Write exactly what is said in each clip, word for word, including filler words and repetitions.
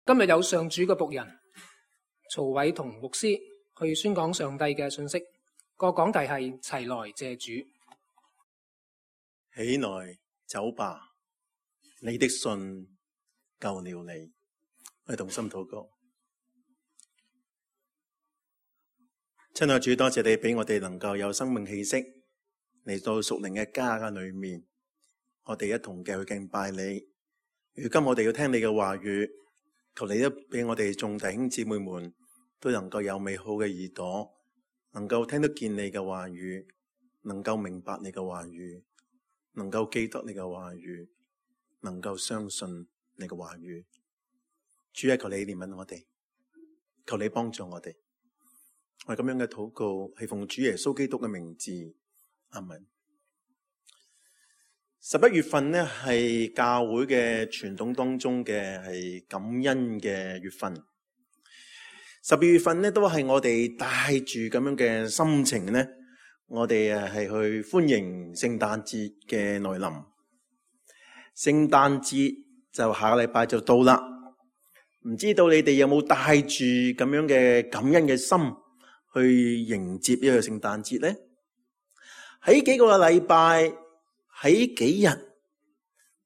今日有上主嘅僕人曹偉同牧師去宣講上帝嘅信息，個講題係齊來謝主。起來走吧，你的信救了你。我哋同心禱告。親愛主，多謝你俾我哋能夠有生命氣息嚟到屬靈嘅家嘅裏面，我哋一同嘅去敬拜你。如今我哋要聽你嘅話語，求你都俾我哋眾弟兄姊妹們都能夠有美好嘅耳朵，能夠聽得見你嘅話語，能夠明白你嘅話語，能夠記得你嘅話語，能夠相信你嘅話語。主啊，求你憐憫我哋，求你幫助我哋。我哋咁樣嘅禱告係奉主耶穌基督嘅名字，阿們。十一月份呢係教會嘅傳統當中嘅係感恩嘅月份。十二月份呢都係我哋帶住咁樣嘅心情呢，我哋誒係去歡迎聖誕節嘅來臨。聖誕節就下個禮拜就到啦，唔知道你哋有冇帶住咁樣嘅感恩嘅心去迎接呢個聖誕節呢？喺幾個禮拜，喺幾日，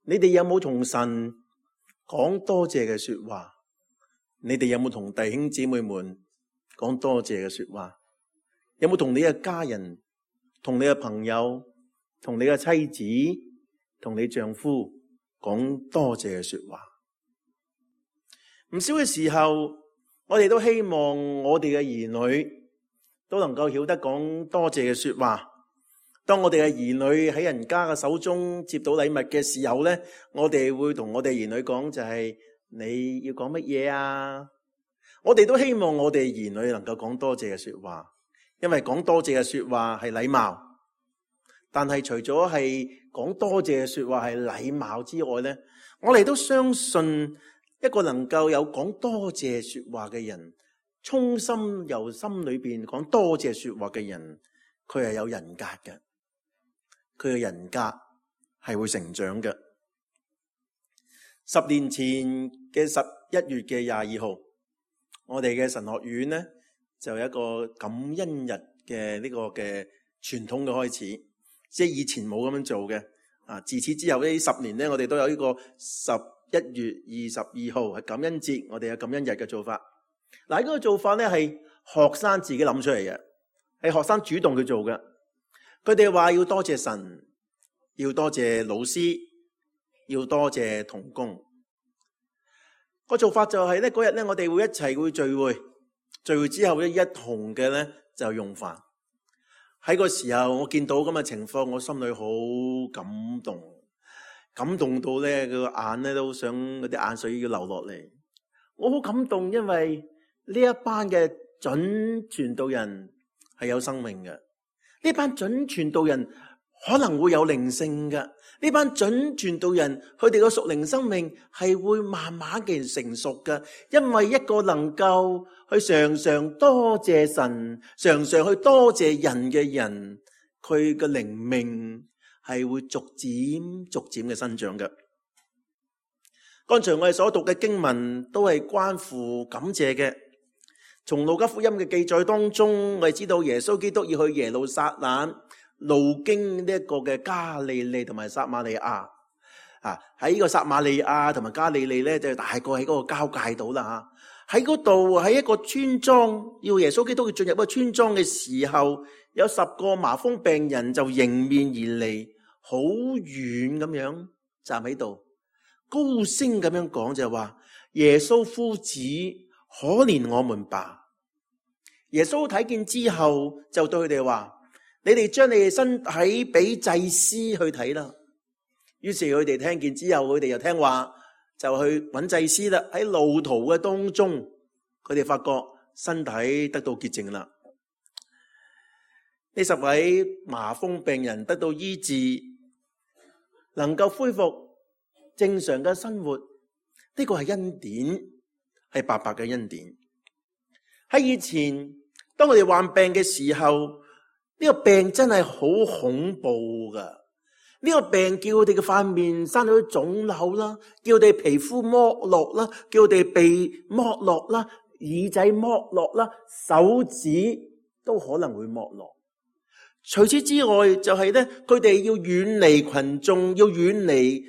你哋有冇同神講多謝嘅說話？你哋有冇同弟兄姊妹們講多謝嘅說話？有冇同你嘅家人、同你嘅朋友、同你嘅妻子、同你丈夫講多謝嘅說話？唔少嘅時候，我哋都希望我哋嘅兒女都能夠曉得講多謝嘅說話。當我哋嘅兒女喺人家嘅手中接到禮物嘅時候呢，我哋會同我哋兒女講就係、是、你要講乜嘢啊？我哋都希望我哋兒女能夠講多謝嘅說話，因為講多謝嘅說話係禮貌。但係除咗係講多謝嘅說話係禮貌之外呢，我哋都相信一個能夠有講多謝說話嘅人，衷心由心裏邊講多謝說話嘅人，佢係有人格嘅。佢嘅人格係會成長嘅。十年前嘅十一月嘅廿二號，我哋嘅神學院呢就有一個感恩日嘅呢個嘅傳統嘅開始，即係以前冇咁樣做嘅。啊，自此之後呢十年呢，我哋都有呢個十一月二十二號係感恩節，我哋有感恩日嘅做法。嗱，呢個做法呢係學生自己諗出嚟嘅，係學生主動去做嘅。佢哋話要多謝神，要多謝老師，要多謝同工。個做法就係咧，嗰日咧我哋會一齊會聚會，聚會之後咧一同嘅咧就用飯。喺個時候我見到咁嘅情況，我心裏好感動，感動到咧個眼咧都想嗰啲眼水要流落嚟。我好感動，因為呢一班嘅準傳道人係有生命嘅。呢班準傳道人可能會有靈性嘅，呢班準傳道人佢哋個屬靈生命係會慢慢嘅成熟嘅，因為一個能夠去常常多謝神、常常去多謝人嘅人，佢嘅靈命係會逐漸逐漸嘅生長嘅。剛才我哋所讀嘅經文都係關乎感謝嘅。從路加福音嘅記載當中，我哋知道耶穌基督要去耶路撒冷，路經呢一個嘅加利利同埋撒瑪利亞。啊，喺呢個撒瑪利亞同埋加利利咧，就大概喺嗰個交界度啦吓。喺嗰度喺一個村莊，要耶穌基督去進入一個村莊嘅時候，有十個麻風病人就迎面而嚟，好遠咁樣站喺度，高聲咁樣講就係話：耶穌夫子，可憐我們吧。耶穌睇見之後就對佢哋話：你哋將你哋身體俾祭司去睇啦。於是佢哋聽見之後，佢哋又聽話，就去揾祭司啦。喺路途嘅當中，佢哋發覺身體得到潔淨啦。呢十位麻風病人得到醫治，能夠恢復正常嘅生活，呢個係恩典，係白白嘅恩典。喺以前，當我哋患病嘅時候，呢個病真係好恐怖噶。呢個病叫佢哋嘅塊面生咗腫瘤啦，叫佢哋皮膚剝落啦，叫佢哋鼻剝落啦，耳仔剝落啦，手指都可能會剝落。除此之外，就係咧，佢哋要遠離群眾，要遠離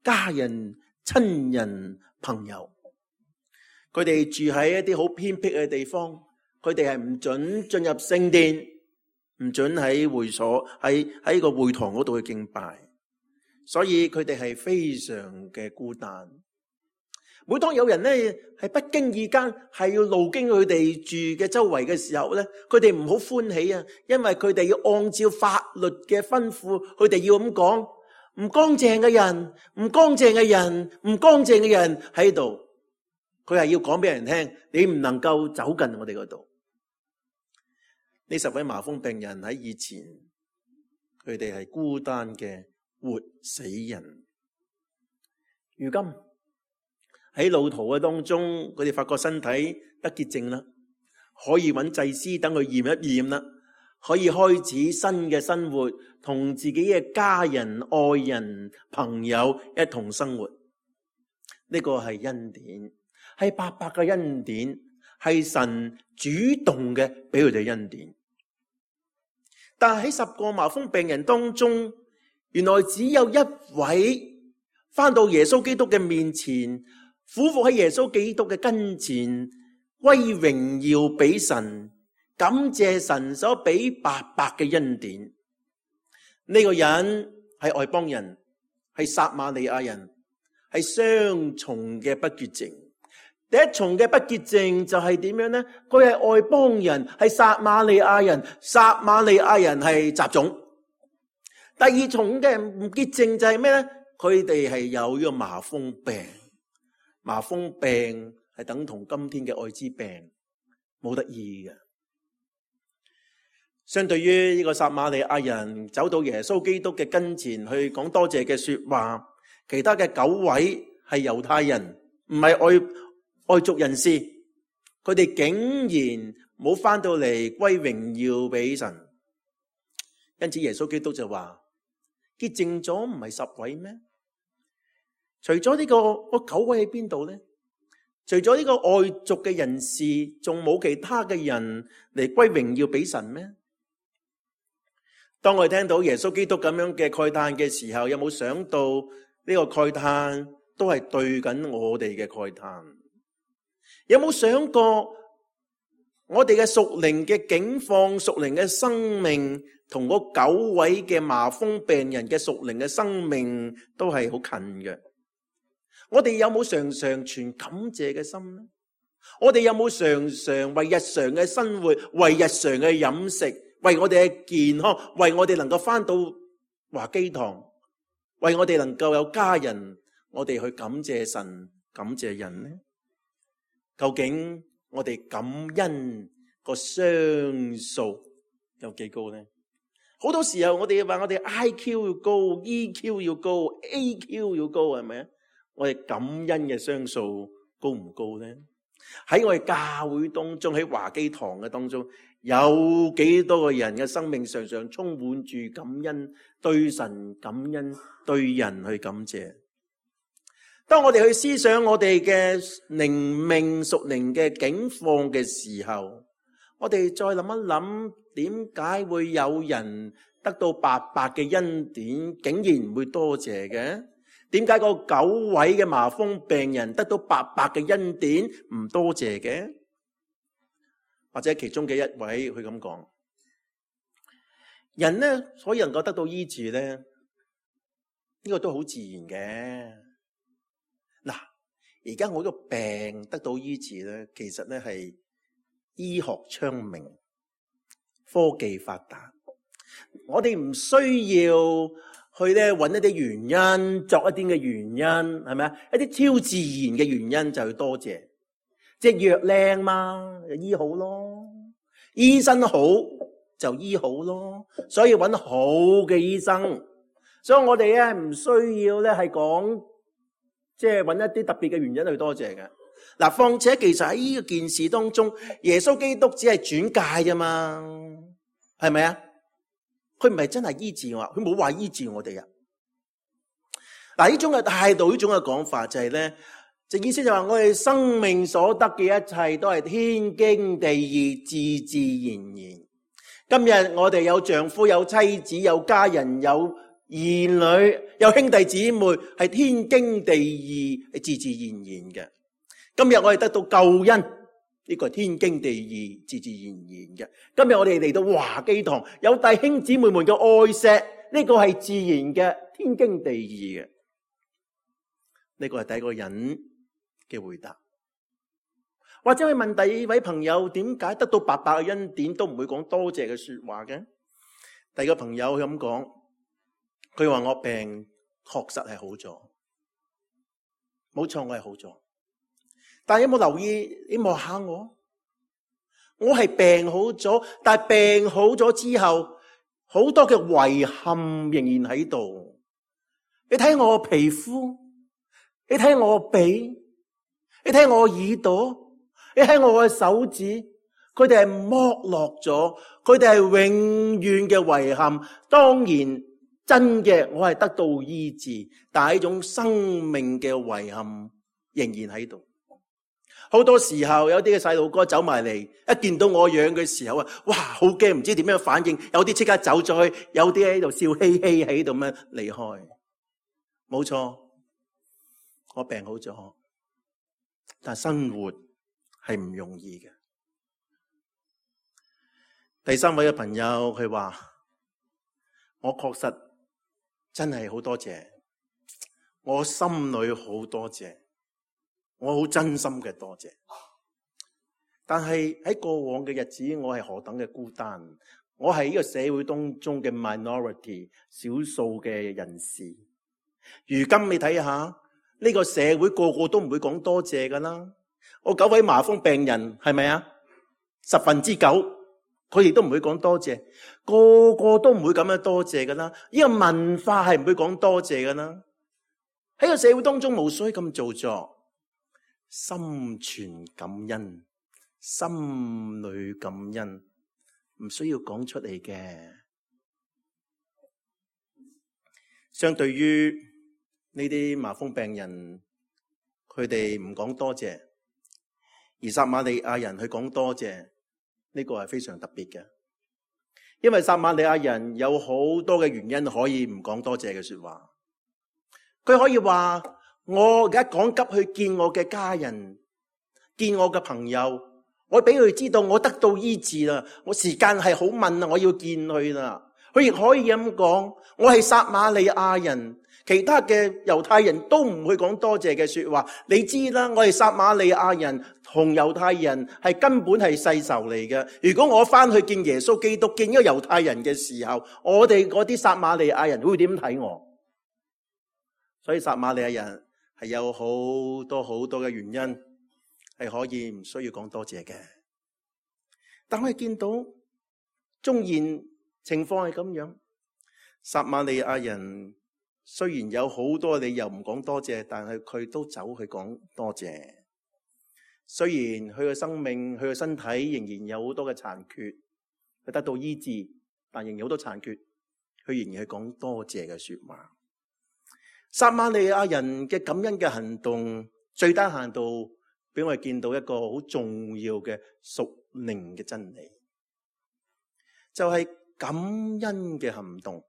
家人、親人、朋友。佢哋住喺一啲好偏僻嘅地方，佢哋係唔准進入聖殿，唔准喺會所喺喺個會堂嗰度去敬拜，所以佢哋係非常嘅孤單。每當有人咧係不經意間係要路經佢哋住嘅周圍嘅時候咧，佢哋唔好歡喜啊，因為佢哋要按照法律嘅吩咐，佢哋要咁講：唔乾淨嘅人，唔乾淨嘅人，唔乾淨嘅人喺度。佢係要講俾人聽，你唔能夠走近我哋嗰度。呢十位麻風病人喺以前，佢哋係孤單嘅活死人。如今喺路途嘅當中，佢哋發覺身體得潔淨啦，可以揾祭司等佢驗一驗啦，可以開始新嘅生活，同自己嘅家人、愛人、朋友一同生活。呢個係恩典，係白白嘅恩典，係神主動嘅俾佢哋恩典。但係喺十個麻風病人當中，原來只有一位返到耶穌基督嘅面前，俯伏喺耶穌基督嘅跟前，歸榮耀俾神，感謝神所俾白白嘅恩典。呢、這個人係外邦人，係撒瑪利亞人，係雙重嘅不潔淨。第一重嘅不潔淨就係點樣呢？佢係外邦人，係撒瑪利亞人，撒瑪利亞人係雜種。第二重嘅唔潔淨就係咩呢？佢哋係有呢個麻風病，麻風病係等同今天嘅艾滋病，冇得醫嘅。相對於呢個撒瑪利亞人走到耶穌基督嘅跟前去講多謝嘅說話，其他嘅九位係猶太人，唔係外外族人士，佢哋竟然冇翻到嚟歸榮耀俾神。因此耶穌基督就話：潔淨咗唔係十位咩？除咗呢個九位喺邊度呢？除咗呢個外族嘅人士，仲冇其他嘅人嚟歸榮耀俾神咩？當我哋聽到耶穌基督咁樣嘅慨嘆嘅時候，有冇想到呢個慨嘆都係對緊我哋嘅慨嘆？有冇想過我哋嘅屬靈嘅境況、屬靈嘅生命，同嗰九位嘅麻風病人嘅屬靈嘅生命都係好近嘅？我哋有冇常常存感謝嘅心呢？我哋有冇常常為日常嘅生活、為日常嘅飲食、為我哋嘅健康、為我哋能夠返到華基堂、為我哋能夠有家人，我哋去感謝神、感謝人呢？究竟我哋感恩個雙數有幾高呢？好多時候我哋話我哋 I Q 要高， E Q 要高， A Q 要高，係咪啊？我哋感恩嘅雙數高唔高呢？喺我哋教會當中，喺華基堂嘅當中，有幾多個人嘅生命常常充滿住感恩，對神感恩，對人去感謝。當我哋去思想我哋嘅靈命屬靈嘅境況嘅時候，我哋再諗一諗，點解會有人得到白白嘅恩典，竟然唔會多謝嘅？點解個九位嘅麻風病人得到白白嘅恩典唔多謝嘅？或者其中嘅一位佢咁講，人呢所以能夠得到醫治呢，呢、呢個都好自然嘅。嗱，而家我呢個病得到醫治咧，其實咧係醫學昌明、科技發達，我哋唔需要去咧揾一啲原因，作一啲嘅原因，係咪啊？一啲超自然嘅原因就去多謝，即係藥靚嘛，就醫好咯；醫生好就醫好咯。所以揾好嘅醫生，所以我哋咧唔需要咧係講。即係揾一啲特別嘅原因去多謝嘅。嗱，況且其實喺呢個件事當中，耶穌基督只係轉介啫嘛，係咪啊？佢唔係真係醫治我，佢冇話醫治我哋啊。嗱，呢種嘅態度，呢種嘅講法就係咧，就意思就話我哋生命所得嘅一切都係天經地義、自自然然。今日我哋有丈夫、有妻子、有家人、有兒女、有兄弟姊妹，係天經地義、係自自然然嘅。今日我哋得到救恩，呢個係天經地義、自自然然嘅。今日我哋嚟到華基堂，有弟兄姊妹們嘅愛錫，呢個係自然嘅、天經地義嘅。呢個係第一個人嘅回答。或者去問第二位朋友，點解得到白白嘅恩典都唔會講多謝嘅說話嘅？第二個朋友佢咁講，佢話我病確實係好咗，冇錯，我係好咗。但係有冇留意？你望下我，我係病好咗，但係病好咗之後，好多嘅遺憾仍然喺度。你睇我個皮膚，你睇我個鼻，你睇我個耳朵。你睇我嘅手指，佢哋係剝落咗，佢哋係永遠嘅遺憾。當然真嘅，我係得到醫治，但係呢種生命嘅遺憾仍然喺度。好多時候有啲嘅細路哥走埋嚟，一見到我樣嘅時候啊，哇，好驚，唔知點樣反應。有啲即刻走咗去，有啲喺度笑嘻嘻喺度咁樣離開。冇錯，我病好咗，但係生活係唔容易嘅。第三位嘅朋友佢話：我確實真係好多謝，我心裏好多謝，我好真心嘅多謝。但係喺過往嘅日子，我係何等嘅孤單，我係呢個社會當中嘅 minority 少數嘅人士。如今你睇下呢個社會，個個都唔會講多謝噶啦。我九位麻風病人係咪啊？十分之九，佢哋都唔會講多謝，個個都唔會咁樣多謝噶啦。呢個文化係唔會講多謝噶啦。喺個社會當中，無需咁做作，心存感恩，心裏感恩，唔需要講出嚟嘅。相對於呢啲麻風病人，佢哋唔講多謝。而撒瑪利亞人去講多謝，呢個係非常特別嘅，因為撒瑪利亞人有好多嘅原因可以唔講多謝嘅說話。佢可以話：我而家趕急去見我嘅家人，見我嘅朋友，我俾佢知道我得到醫治啦，我時間係好問啦，我要見佢啦。佢亦可以咁講：我係撒瑪利亞人。其他嘅猶太人都唔會講多謝嘅說話。你知啦，我哋撒瑪利亞人同猶太人係根本係世仇嚟嘅。如果我翻去見耶穌基督，見一個猶太人嘅時候，我哋嗰啲撒瑪利亞人會點睇我？所以撒瑪利亞人係有好多好多嘅原因係可以唔需要講多謝嘅。但我哋見到縱然情況係咁樣，撒瑪利亞人雖然有好多理由唔講多謝，但係佢都走去講多謝。雖然佢嘅生命、佢嘅身體仍然有好多嘅殘缺，佢得到醫治，但仍然有好多殘缺，佢仍然係講多謝嘅說話。撒瑪利亞人嘅感恩嘅行動，最低限度俾我哋見到一個好重要嘅屬靈嘅真理，就係感恩嘅行動。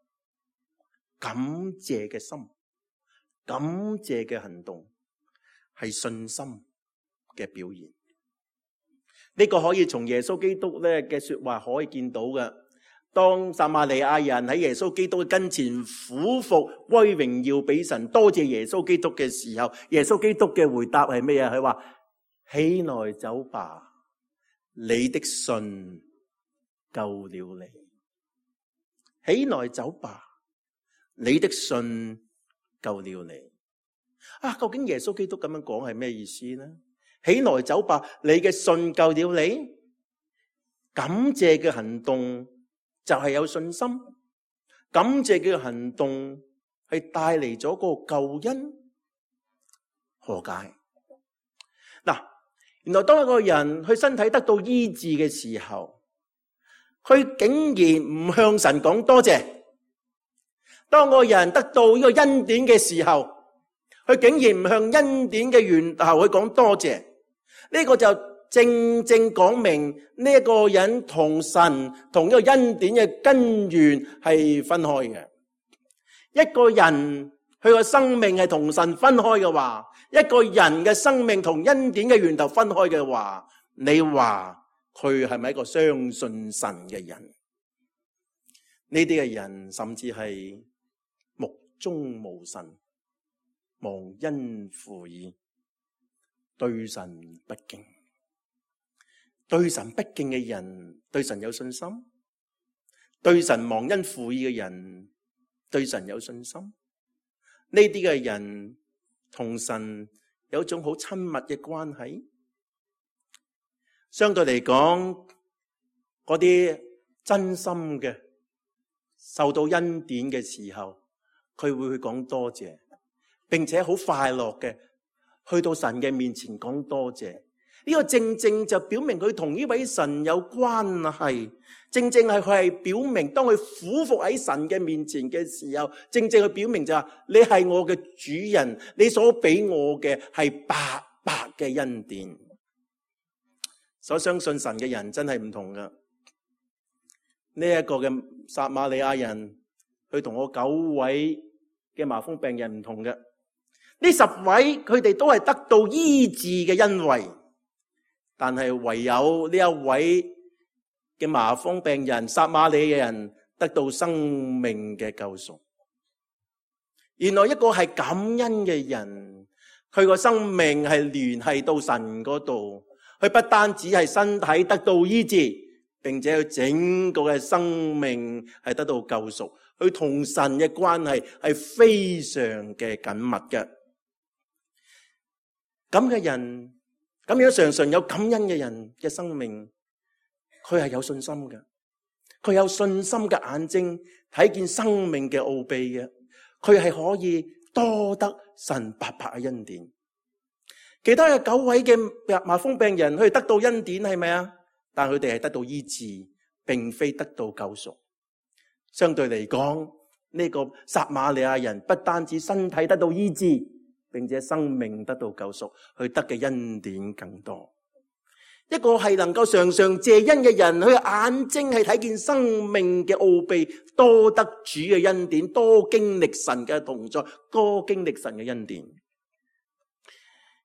感謝嘅心，感謝嘅行動係信心嘅表現。呢個可以從耶穌基督咧嘅說話可以見到嘅。當撒瑪利亞人喺耶穌基督嘅跟前俯伏歸榮耀俾神，多謝耶穌基督嘅時候，耶穌基督嘅回答係咩啊？佢話：起來走吧，你的信救了你。起來走吧，你的信救了你。啊，究竟耶穌基督咁樣講係咩意思呢？起來走吧，你嘅信救了你。感謝嘅行動就係有信心，感謝嘅行動係帶嚟咗個救恩。何解？嗱，原來當一個人佢身體得到醫治嘅時候，佢竟然唔向神講多謝。當個人得到呢個恩典嘅時候，佢竟然唔向恩典嘅源頭去講多謝。呢個就正正講明呢一個人同神同呢個恩典嘅根源係分開嘅。一個人佢個生命係同神分開嘅話，一個人嘅生命同恩典嘅源頭分開嘅話，你話佢係咪一個相信神嘅人？呢啲嘅人甚至係目中無神，忘恩負義，對神不敬。對神不敬嘅人，對神有信心？對神忘恩負義嘅人，對神有信心？呢啲嘅人同神有一種好親密嘅關係。相對嚟講，嗰啲真心嘅受到恩典嘅時候，佢會去講多謝，並且好快樂嘅去到神嘅面前講多謝。呢個正正就表明佢同呢位神有關係，正正係佢係表明當佢俯伏喺神嘅面前嘅時候，正正佢表明就係你係我嘅主人，你所俾我嘅係白白嘅恩典。所相信神嘅人真係唔同噶。呢一個嘅撒瑪利亞人，佢同我九位嘅麻風病人唔同嘅。呢十位佢哋都係得到醫治嘅恩惠。但係唯有呢一位嘅麻風病人，撒瑪利亞人得到生命嘅救贖。原來一個係感恩嘅人，佢個生命係聯繫到神嗰度，佢不單止係身體得到醫治，並且佢整個嘅生命係得到救贖。佢同神嘅關係係非常嘅緊密嘅。咁嘅人。咁樣常常有感恩嘅人嘅生命，佢係有信心嘅，佢有信心嘅眼睛睇見生命嘅奧秘嘅，佢係可以多得神白白嘅恩典。其他嘅九位嘅麻風病人，佢哋得到恩典係咪啊？但佢哋係得到醫治，並非得到救贖。相對嚟講，呢個撒瑪利亞人不單止身體得到醫治，並且生命得到救贖，佢得嘅恩典更多。一個係能夠常常謝恩嘅人，佢眼睛係睇見生命嘅奧秘，多得主嘅恩典，多經歷神嘅同在，多經歷神嘅恩典。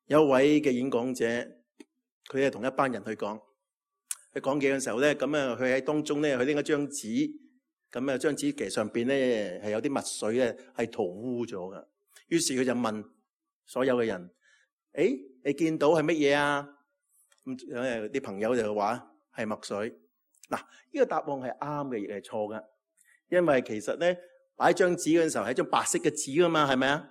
有一位嘅演講者，佢係同一班人去講，佢講嘢嘅時候咧，咁啊，佢喺當中咧，佢拎一張紙，咁啊，張紙其實上邊咧係有啲墨水咧係塗污咗噶。於是佢就問所有嘅人，誒，你見到係乜嘢啊？咁誒，啲朋友就話係墨水。嗱，呢個答案係啱嘅，亦係錯噶。因為其實咧，擺張紙嗰陣時候係一張白色嘅紙噶嘛，係咪啊？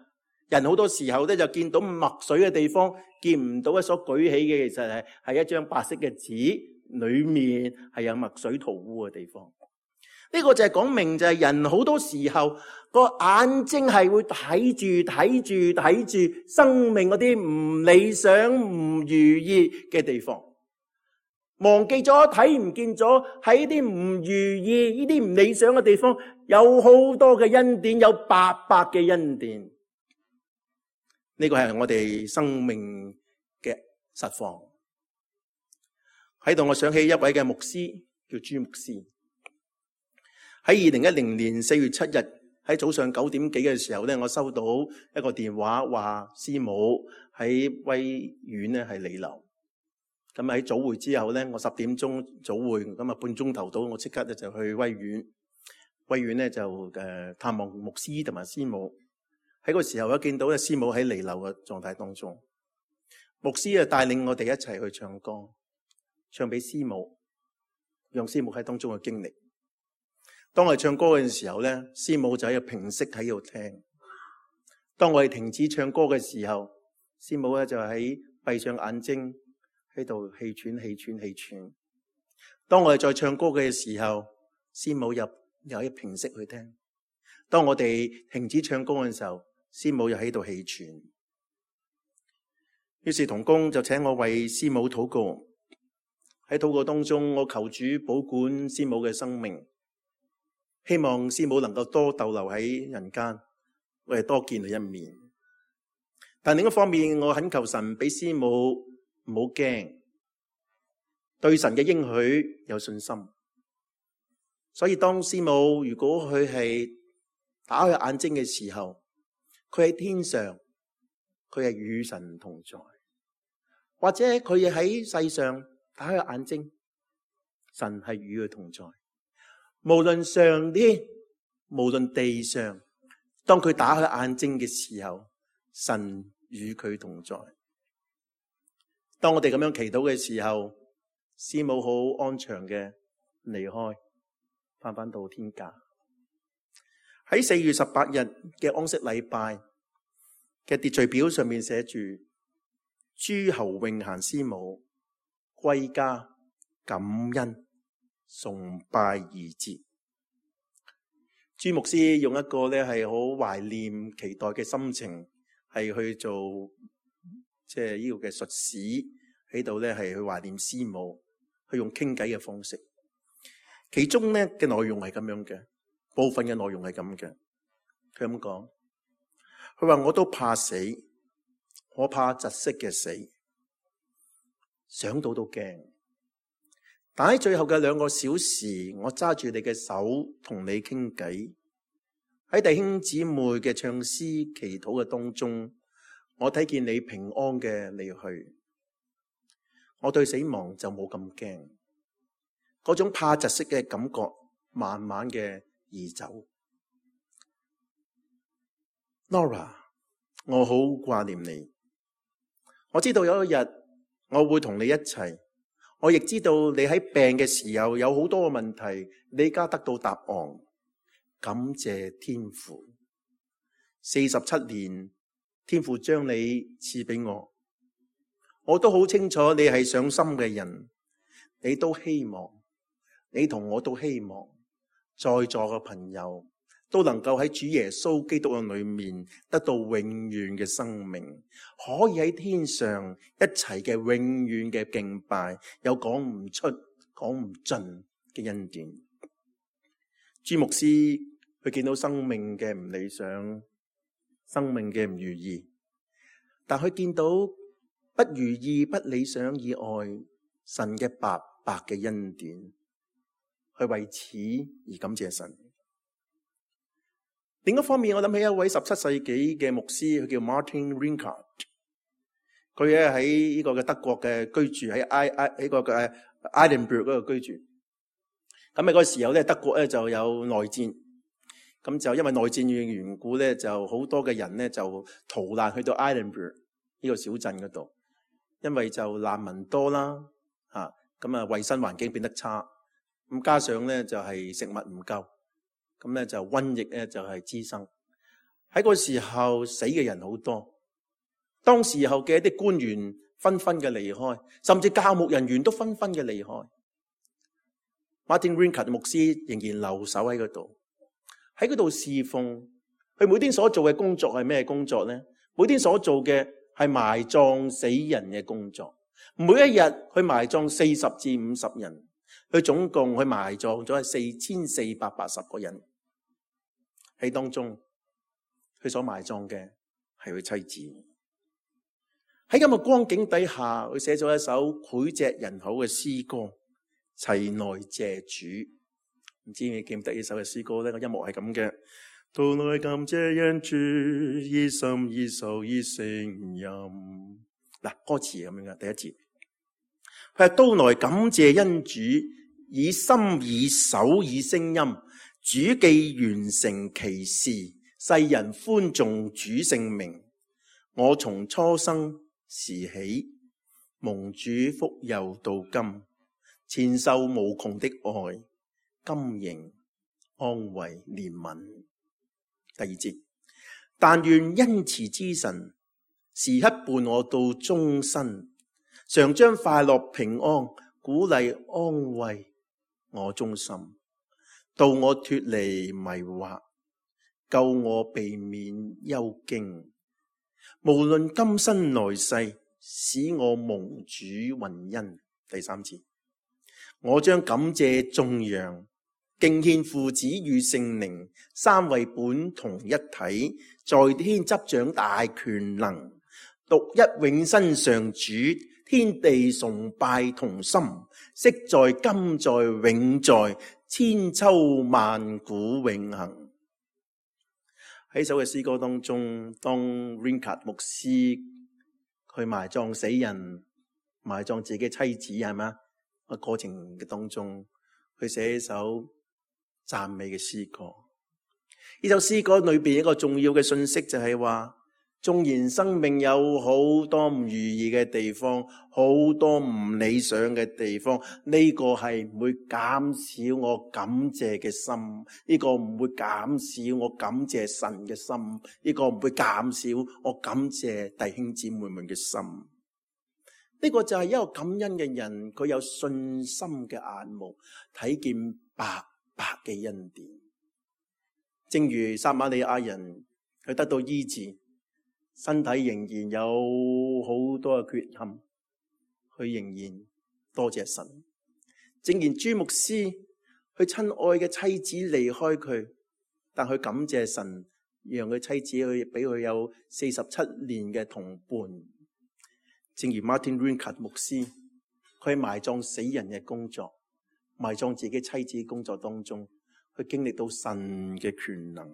人好多時候咧就見到墨水嘅地方，見唔到一所舉起嘅，其實係係一張白色嘅紙，裏面係有墨水塗污嘅地方。呢個就係講明就係人好多時候個眼睛係會睇住睇住睇住生命嗰啲唔理想唔如意嘅地方，忘記咗睇唔見咗喺啲唔如意呢啲唔理想嘅地方有好多嘅恩典，有白白嘅恩典。呢個係我哋生命嘅實況。喺度我想起一位嘅牧師叫朱牧師。喺二零一零年四月七日喺早上九點幾嘅時候咧，我收到一個電話，話師母喺威院咧係彌留。咁喺早會之後咧，我十點鐘早會，咁啊半鐘頭到，我即刻咧就去威院。威院咧就誒探望牧師同埋師母。喺個時候我見到咧師母喺彌留嘅狀態當中，牧師啊帶領我哋一齊去唱歌，唱俾師母，讓師母喺當中嘅經歷。當我哋唱歌嘅時候咧，師母就喺度屏息喺度聽。當我哋停止唱歌嘅時候，師母咧就喺閉上眼睛喺度氣喘氣喘氣喘。當我哋再唱歌嘅時候，師母又又喺屏息去聽。當我哋停止唱歌嘅時候，師母又喺度氣喘。於是同工就請我為師母禱告。喺禱告當中，我求主保管師母嘅生命。希望師母能夠多逗留喺人間，我哋多見佢一面。但另一方面，我懇求神俾師母唔好驚，對神嘅應許有信心。所以當師母如果佢係打開眼睛嘅時候，佢喺天上，佢係與神同在；或者佢喺世上打開眼睛，神係與佢同在。無論上天，無論地上，當佢打開眼睛嘅時候，神與佢同在。當我哋咁樣祈禱嘅時候，師母好安詳嘅離開，翻返到天家。喺四月十八日嘅安息禮拜嘅秩序表上面寫住諸侯永賢師母歸家感恩崇拜二節。朱牧師用一個咧係好懷念期待嘅心情，係去做即係呢個嘅述史喺度咧，係去懷念師母，去用傾偈嘅方式。其中咧嘅內容係咁樣嘅，部分嘅內容係咁嘅。佢咁講，佢話我都怕死，我怕窒息嘅死，想到都驚。但喺最後嘅兩個小時，我揸住你嘅手同你傾偈，喺弟兄姊妹嘅唱詩祈禱嘅當中，我睇見你平安嘅離去，我對死亡就冇咁驚，嗰種怕窒息嘅感覺慢慢嘅移走。Nora， 我好掛念你，我知道有一日我會同你一齊。我亦知道你喺病嘅時候有好多嘅問題，你而家得到答案，感謝天父。四十七年，天父將你賜俾我，我都好清楚你係上心嘅人，你都希望，你同我都希望，在座嘅朋友都能夠喺主耶穌基督嘅裏面得到永遠嘅生命，可以喺天上一齊嘅永遠嘅敬拜，有講唔出、講唔盡嘅恩典。朱牧師佢見到生命嘅唔理想，生命嘅唔如意，但佢見到不如意、不理想以外，神嘅白白嘅恩典，佢為此而感謝神。另一方面，我諗起一位十七世紀嘅牧師，佢叫 Martin Rinkart， 佢咧喺呢個嘅德國嘅居住，喺埃埃喺個嘅 Edinburgh 嗰度居住。咁喺嗰個時候咧，德國咧就有內戰，咁就因為內戰嘅緣故咧，就好多嘅人咧就逃難去到 Edinburgh 呢個小鎮嗰度，因為就難民多啦，吓咁啊衛生環境變得差，咁加上咧就係食物唔夠。咁咧就瘟疫咧就係滋生，喺個時候死嘅人好多，當時候嘅一啲官員紛紛嘅離開，甚至教牧人員都紛紛嘅離開。Martin Rinkart 牧師仍然留守喺嗰度，喺嗰度侍奉。佢每天所做嘅工作係咩工作咧？每天所做嘅係埋葬死人嘅工作，每一日佢埋葬四十至五十人，佢總共佢埋葬咗係四千四百八十個人。喺當中，佢所埋葬嘅係佢妻子。喺咁嘅光景底下，佢寫咗一首膾炙人口嘅詩歌《齊來謝主》。唔知你記唔記得呢首嘅詩歌咧？個音樂係咁嘅：到來感謝恩主，以心以手以聲音。嗱，歌詞係咁樣嘅，第一節，佢係到來感謝恩主，以心以手以聲音。主既完成其事，世人歡頌主聖名。我從初生時起，蒙主福佑到今，前受無窮的愛，今仍安慰憐憫。第二節，但願恩慈之神時刻伴我到終身，常將快樂平安鼓勵安慰我忠心。到我脫離迷惑，救我避免憂驚。無論今生來世，使我蒙主雲恩。第三節，我將感謝頌揚，敬獻父子與聖靈三位本同一體，在天執掌大權能，獨一永生上主，天地崇拜同心，昔在今在永在，千秋萬古永恆。喺首嘅詩歌當中，當 Rinkat 牧師去埋葬死人，埋葬自己妻子係咪？個過程嘅當中，佢寫一首讚美嘅詩歌。呢首詩歌裏邊一個重要嘅信息就係話，縱然生命有好多唔如意嘅地方，好多唔理想嘅地方，呢個係唔會減少我感謝嘅心，呢個唔會減少我感謝神嘅心，呢個唔會減少我感謝弟兄姊妹們嘅心。呢個就係一個感恩嘅人，佢有信心嘅眼目，睇見白白嘅恩典。正如撒瑪利亞人，佢得到醫治，身體仍然有好多嘅缺陷，佢仍然多謝神。正如朱牧師，佢親愛嘅妻子離開佢，但佢感謝神，讓佢妻子去俾佢有四十七年嘅同伴。正如 Martin Rinkat 牧師，佢喺埋葬死人嘅工作，埋葬自己妻子嘅工作當中，佢經歷到神嘅權能。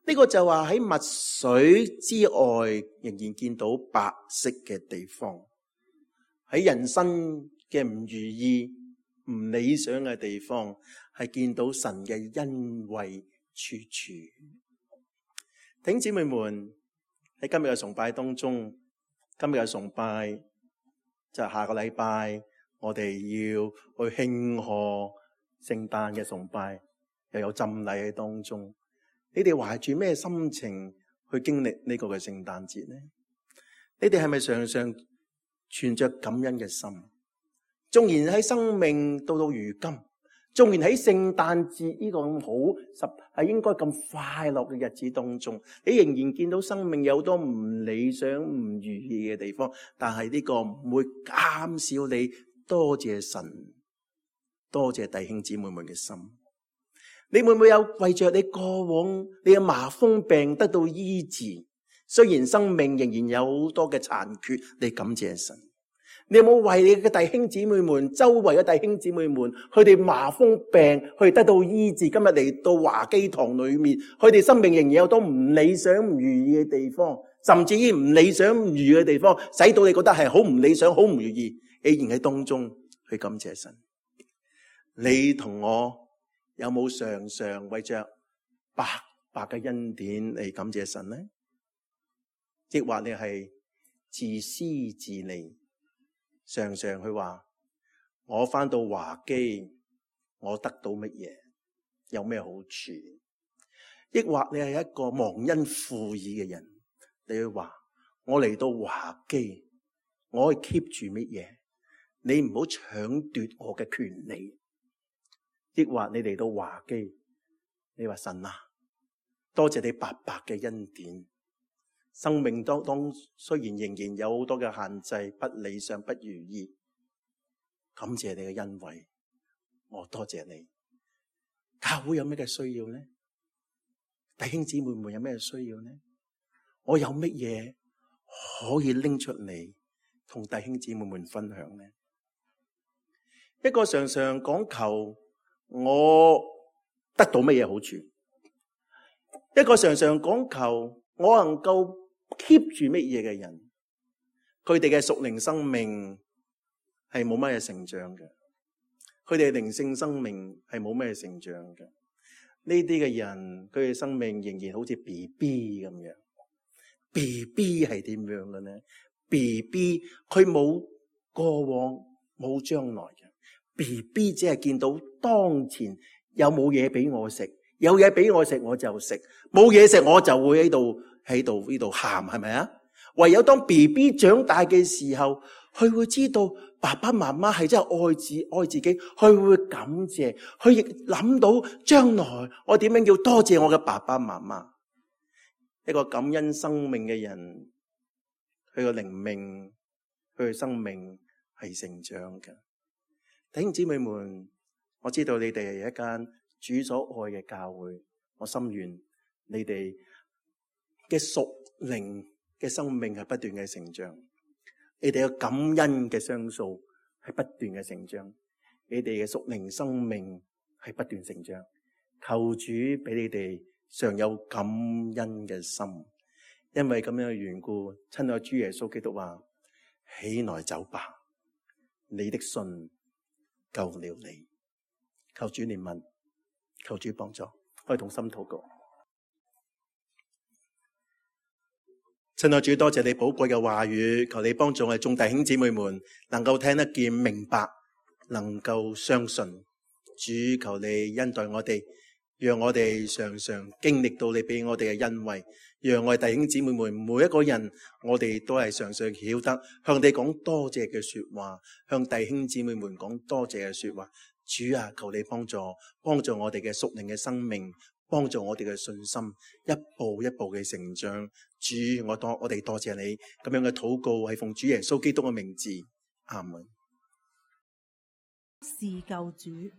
呢個就話喺墨水之外，仍然見到白色嘅地方。喺人生嘅唔如意、唔理想嘅地方，係見到神嘅恩惠處處。弟兄姊妹們，喺今日嘅崇拜當中，今日嘅崇拜就係下個禮拜我哋要去慶賀聖誕嘅崇拜，又有浸禮喺當中。你哋懷住咩心情去經歷呢個嘅聖誕節呢？你哋係咪常常存着感恩嘅心？縱然喺生命到到如今，縱然喺聖誕節呢個咁好十係應該咁快樂嘅日子當中，你仍然見到生命有好多唔理想、唔如意嘅地方，但係呢個唔會減少你多謝神、多謝弟兄姊妹們嘅心。你會唔會有為着你過往你嘅麻風病得到醫治？雖然生命仍然有好多嘅殘缺，你感謝神。你有冇為你嘅弟兄姊妹們、周圍嘅弟兄姊妹們，佢哋麻風病，佢哋得到醫治？今日嚟到華基堂裏面，佢哋生命仍然有好多唔理想、唔如意嘅地方，甚至於唔理想、唔如意嘅地方，使到你覺得係好唔理想、好唔如意，你仍然喺當中去感謝神。你同我有冇常常為着白白嘅恩典嚟感謝神呢？抑或你係自私自利，常常去話我返到華基，我得到乜嘢，有咩好處？抑或你係一個忘恩負義嘅人，你去話我嚟到華基，我可以 keep 住乜嘢？你唔好搶奪我嘅權利。抑或你嚟到華基，你話神啊，多謝你白白嘅恩典。生命當當雖然仍然有好多嘅限制，不理想，不如意，感謝你嘅恩惠，我多謝你。教會有咩嘅需要呢？弟兄姊妹們有咩需要呢？我有乜嘢可以拎出嚟同弟兄姊妹們分享呢？一個常常講求我得到乜嘢好處，一個常常講求我能夠 keep 住乜嘢嘅人，佢哋嘅屬靈生命係冇乜嘢成長嘅，佢哋嘅靈性生命係冇乜嘢成長嘅。呢啲嘅人，佢哋生命仍然好似 B B 咁樣。B B 係點樣嘅呢？ B B 佢冇過往，冇將來嘅。B B 只係見到當前有冇嘢俾我食，有嘢俾我食我就食，冇嘢食我就會喺度喺度呢度喊，係咪啊？唯有當 B B 長大嘅時候，佢會知道爸爸媽媽係真係愛自愛自己，佢會感謝，佢亦諗到將來我點樣要多謝我嘅爸爸媽媽。一個感恩生命嘅人，佢嘅靈命，佢嘅生命係成長嘅。弟兄姊妹們，我知道你哋係一間主所愛嘅教會，我心願你哋嘅屬靈嘅生命係不斷嘅成長，你哋嘅感恩嘅雙數係不斷嘅成長，你哋嘅屬靈生命係不斷成長。求主俾你哋常有感恩嘅心，因為咁樣嘅緣故，親愛主耶穌基督話：起來走吧，你的信救了你。求主憐憫，求主幫助，可以同心禱告。親愛主，多謝你寶貴嘅話語，求你幫助我哋眾弟兄姊妹們能夠聽得見、明白，能夠相信。主，求你恩待我哋，讓我哋常常經歷到你俾我哋嘅恩惠，讓我哋弟兄姊妹們每一個人，我哋都係常常曉得向你講多謝嘅說話，向弟兄姊妹們講多謝嘅說話。主啊，求你幫助，幫助我哋嘅屬靈嘅生命，幫助我哋嘅信心，一步一步嘅成長。主，我多我哋多謝你咁樣嘅禱告，係奉主耶穌基督嘅名字，阿門。是救主。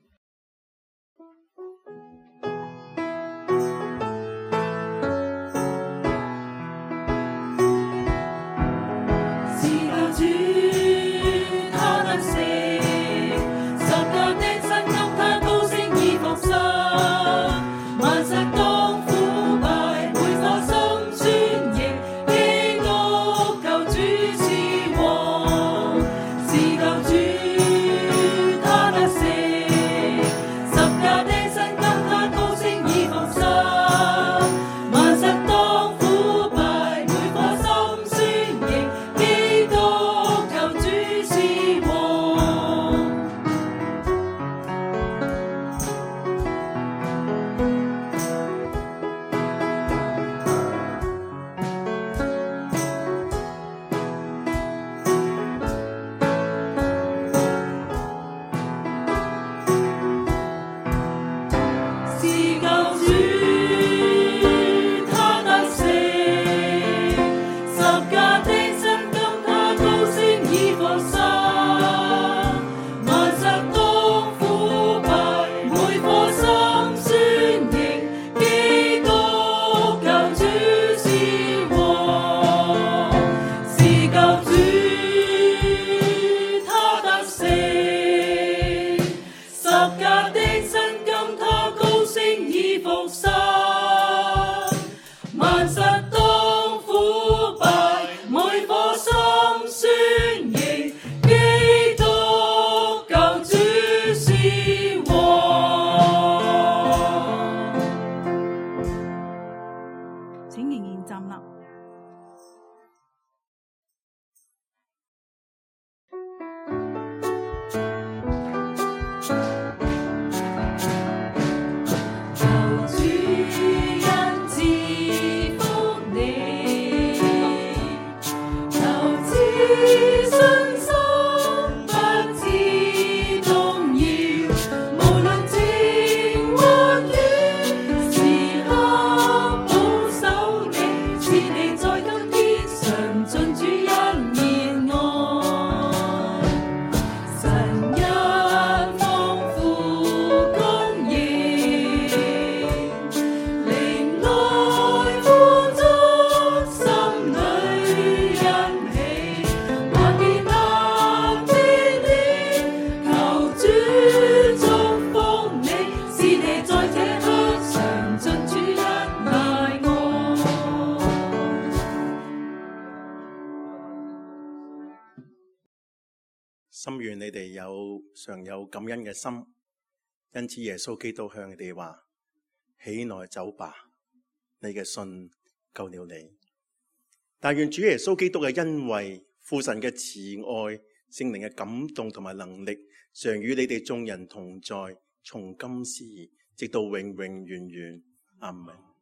心願你哋有常有感恩嘅心，因此耶穌基督向你哋話：起來走吧，你嘅信救了你。但願主耶穌基督嘅恩惠、父神嘅慈愛、聖靈嘅感動同埋能力，常與你哋眾人同在，從今時直到永永遠遠。阿們。